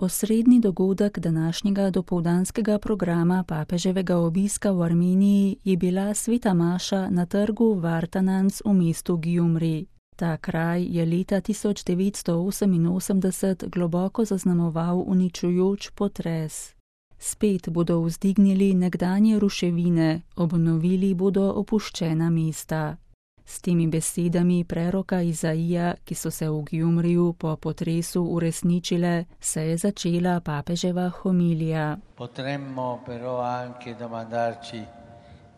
Osrednji dogodek današnjega dopoldanskega programa papeževega obiska v Armeniji je bila sveta maša na trgu Vartanants v mestu Gjumri. Ta kraj je leta 1988 globoko zaznamoval uničujoč potres. Spet bodo vzdignili nekdanje ruševine, obnovili bodo opuščena mesta. S temi besedami preroka Izaija, ki so se v Gjumriju po potresu uresničile, se je začela papeževa homilija. Potremmo però anche domandarci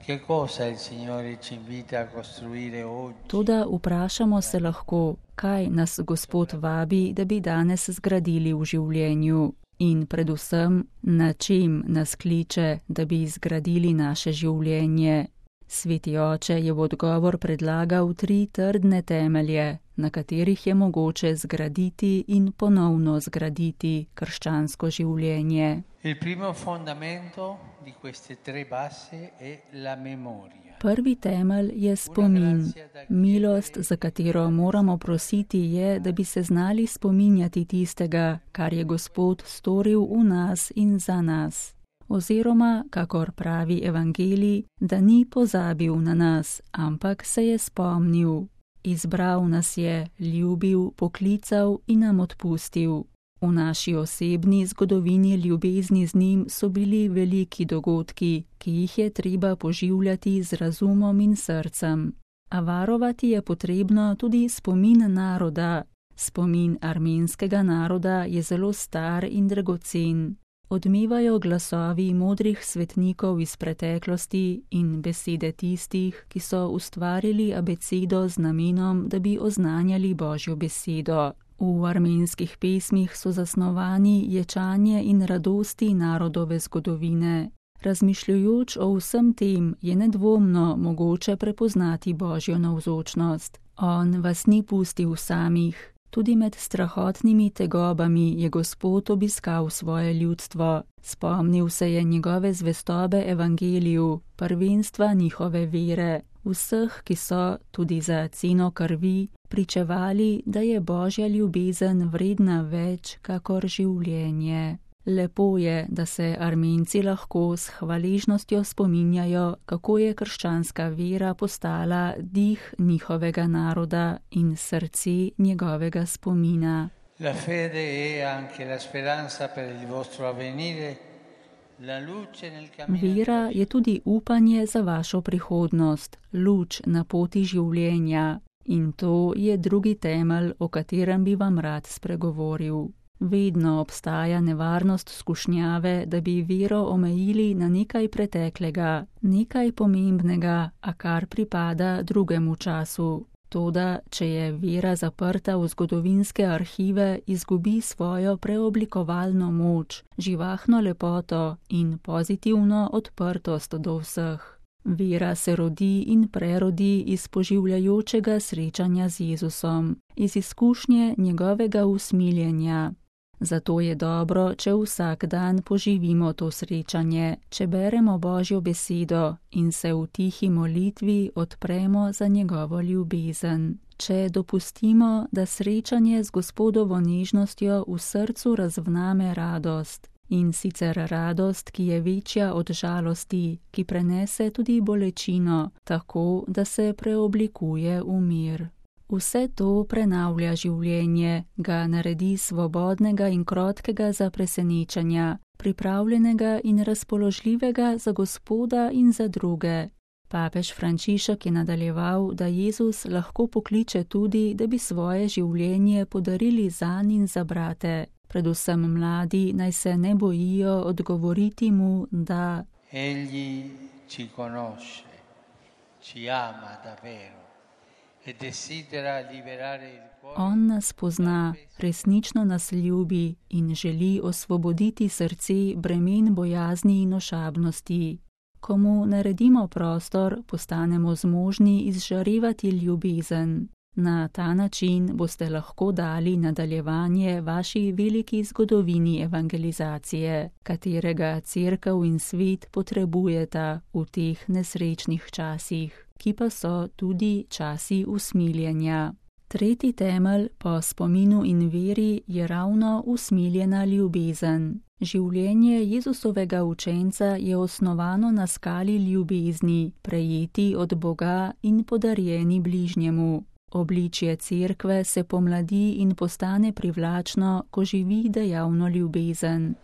che cosa il Signore ci invita a costruire oggi. Toda vprašamo se lahko, kaj nas Gospod vabi, da bi danes zgradili v življenju. In predvsem, na čem nas kliče, da bi zgradili naše življenje. Sveti oče je v odgovor predlagal 3 trdne temelje, na katerih je mogoče zgraditi in ponovno zgraditi krščansko življenje. Il primo fondamento di queste 3 basi è la memoria. Prvi temelj je spomin. Milost, za katero moramo prositi, je, da bi se znali spominjati tistega, kar je Gospod storil v nas in za nas. Oziroma, kakor pravi evangelij, da ni pozabil na nas, ampak se je spomnil. Izbral nas je, ljubil, poklical in nam odpustil. V naši osebni zgodovini ljubezni z njim so bili veliki dogodki, ki jih je treba poživljati z razumom in srcem. A varovati je potrebno tudi spomin naroda. Spomin armenskega naroda je zelo star in dragocen. Odmevajo glasovi modrih svetnikov iz preteklosti in besede tistih, ki so ustvarili abecedo z namenom, da bi oznanjali Božjo besedo. V armenskih pesmih so zasnovani ječanje in radosti narodove zgodovine. Razmišljujoč o vsem tem je nedvomno mogoče prepoznati Božjo navzočnost. On vas ni pustil samih. Tudi med strahotnimi tegobami je Gospod obiskal svoje ljudstvo. Spomnil se je njegove zvestobe evangeliju, prvenstva njihove vere, vseh, ki so, tudi za ceno krvi, pričevali, da je Božja ljubezen vredna več kakor življenje. Lepo je, da se Armenci lahko s hvaležnostjo spominjajo, kako je krščanska vera postala dih njihovega naroda in srce njegovega spomina. La fede è anche la speranza per il vostro avvenire, la luce nel cammino. Vera je tudi upanje za vašo prihodnost, luč na poti življenja. In to je drugi temelj, o katerem bi vam rad spregovoril. Vedno obstaja nevarnost skušnjave, da bi vero omejili na nekaj preteklega, nekaj pomembnega, a kar pripada drugemu času. Toda, če je vera zaprta v zgodovinske arhive, izgubi svojo preoblikovalno moč, živahno lepoto in pozitivno odprtost do vseh. Vera se rodi in prerodi iz poživljajočega srečanja z Jezusom, iz izkušnje njegovega usmiljenja. Zato je dobro, če vsak dan poživimo to srečanje, če beremo Božjo besedo in se v tihi molitvi odpremo za njegovo ljubezen. Če dopustimo, da srečanje z Gospodovo nežnostjo v srcu razvname radost. In sicer radost, ki je večja od žalosti, ki prenese tudi bolečino, tako da se preoblikuje v mir. Vse to prenavlja življenje, ga naredi svobodnega in krotkega za presenečenja, pripravljenega in razpoložljivega za Gospoda in za druge. Papež Frančišek je nadaljeval, da Jezus lahko pokliče tudi, da bi svoje življenje podarili zanj in za brate. Predvsem mladi naj se ne bojijo odgovoriti mu, da Egli ci conosce, ci ama davvero e desidera liberare il cuore. On nas pozna, resnično nas ljubi in želi osvoboditi srce bremen bojazni in ošabnosti. Ko mu naredimo prostor, postanemo zmožni izžarevati ljubezen. Na ta način boste lahko dali nadaljevanje vaši veliki zgodovini evangelizacije, katerega cerkev in svet potrebujeta v teh nesrečnih časih, ki pa so tudi časi usmiljenja. Tretji temelj po spominu in veri je ravno usmiljena ljubezen. Življenje Jezusovega učenca je osnovano na skali ljubezni, prejeti od Boga in podarjeni bližnjemu. Obličje cerkve se pomladi in postane privlačno, ko živi dejavno ljubezen.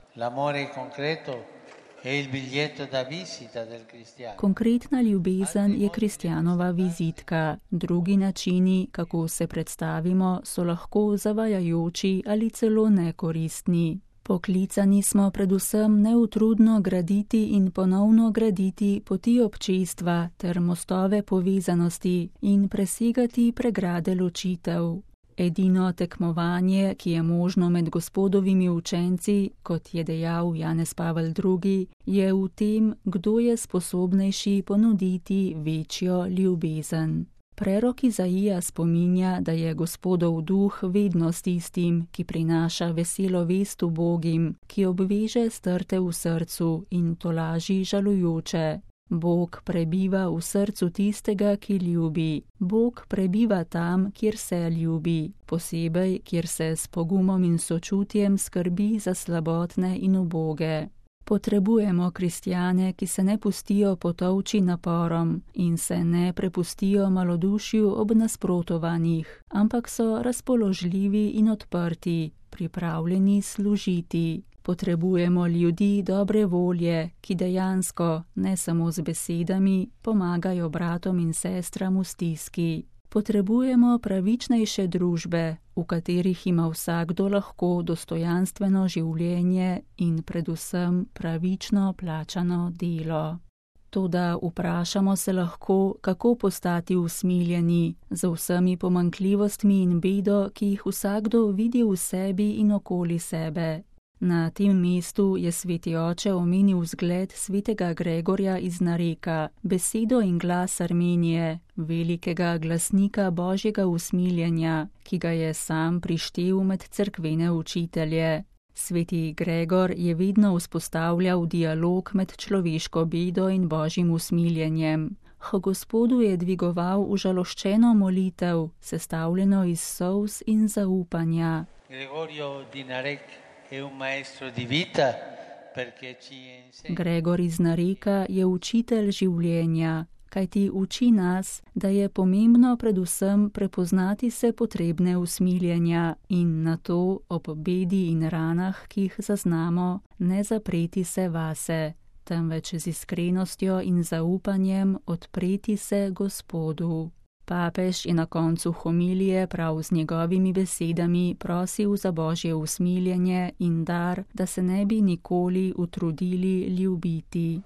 Konkretna ljubezen je kristjanova vizitka. Drugi načini, kako se predstavimo, so lahko zavajajoči ali celo nekoristni. Poklicani smo predvsem neutrudno graditi in ponovno graditi poti občestva ter mostove povezanosti in presegati pregrade ločitev. Edino tekmovanje, ki je možno med Gospodovimi učenci, kot je dejal Janez Pavel II., je v tem, kdo je sposobnejši ponuditi večjo ljubezen. Prerok Izaija spominja, da je Gospodov duh vedno s tistim, ki prinaša veselo vest ubogim, ki obveže strte v srcu in tolaži žalujoče. Bog prebiva v srcu tistega, ki ljubi. Bog prebiva tam, kjer se ljubi, posebej, kjer se s pogumom in sočutjem skrbi za slabotne in uboge. Potrebujemo kristjane, ki se ne pustijo potolči naporom in se ne prepustijo malodušju ob nasprotovanjih, ampak so razpoložljivi in odprti, pripravljeni služiti. Potrebujemo ljudi dobre volje, ki dejansko, ne samo z besedami, pomagajo bratom in sestram v stiski. Potrebujemo pravičnejše družbe, v katerih ima vsakdo lahko dostojanstveno življenje in predvsem pravično plačano delo. Toda vprašamo se lahko, kako postati usmiljeni z vsemi pomanjkljivostmi in bedo, ki jih vsakdo vidi v sebi in okoli sebe. Na tem mestu je sveti oče omenil zgled svetega Gregorja iz Nareka, besedo in glas Armenije, velikega glasnika Božjega usmiljenja, ki ga je sam prištel med cerkvene učitelje. Sveti Gregor je vedno vzpostavljal dialog med človeško bedo in Božjim usmiljenjem. H Gospodu je dvigoval užaloščeno molitev, sestavljeno iz solz in zaupanja. Gregor iz Nareka je učitelj življenja, kajti uči nas, da je pomembno predvsem prepoznati se potrebne usmiljenja in na to ob bedi in ranah, ki jih zaznamo, ne zapreti se vase, temveč z iskrenostjo in zaupanjem odpreti se Gospodu. Papež je na koncu homilije prav z njegovimi besedami prosil za Božje usmiljenje in dar, da se ne bi nikoli utrudili ljubiti.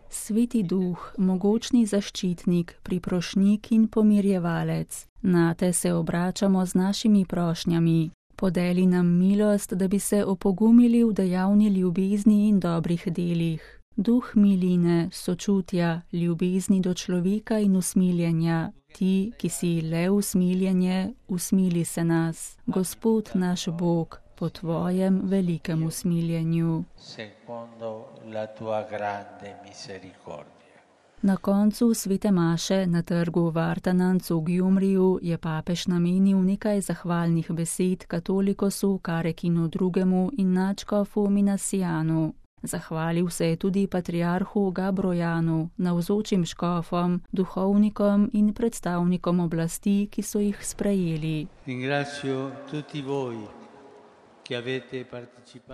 Sveti Duh, mogočni zaščitnik, priprošnik in pomirjevalec, nate se obračamo z našimi prošnjami. Podeli nam milost, da bi se opogumili v dejavni ljubezni in dobrih delih. Duh miline, sočutja, ljubezni do človeka in usmiljenja, ti, ki si le usmiljenje, usmili se nas, Gospod naš Bog, po tvojem velikem usmiljenju. Na koncu svete maše na trgu Vartananc v Gjumriju je papež namenil nekaj zahvalnih besed katolikosu Karekinu II. In nadškofu Minasijanu. Zahvalil se je tudi patriarhu Gabrojanu, navzočim škofom, duhovnikom in predstavnikom oblasti, ki so jih sprejeli.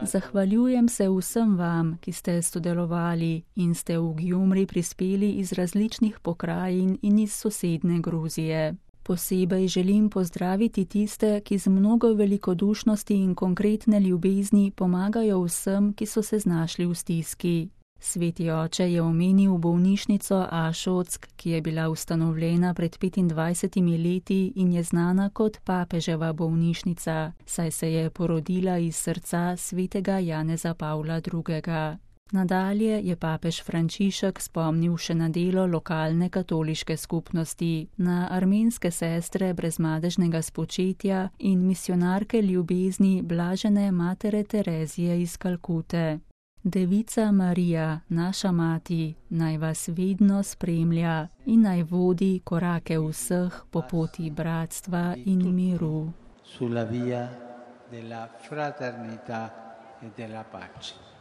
Zahvaljujem se vsem vam, ki ste sodelovali in ste v Gjumri prispeli iz različnih pokrajin in iz sosedne Gruzije. Posebej želim pozdraviti tiste, ki z mnogo velikodušnosti in konkretne ljubezni pomagajo vsem, ki so se znašli v stiski. Sveti oče je omenil bolnišnico Ašock, ki je bila ustanovljena pred 25 leti in je znana kot papeževa bolnišnica, saj se je porodila iz srca svetega Janeza Pavla II. Nadalje je papež Frančišek spomnil še na delo lokalne katoliške skupnosti, na armenske sestre brezmadežnega spočetja in misionarke ljubezni blažene matere Terezije iz Kalkute. Devica Marija, naša mati, naj vas vedno spremlja in naj vodi korake vseh po poti bratstva in miru. Sulla via della fraternità e della pace.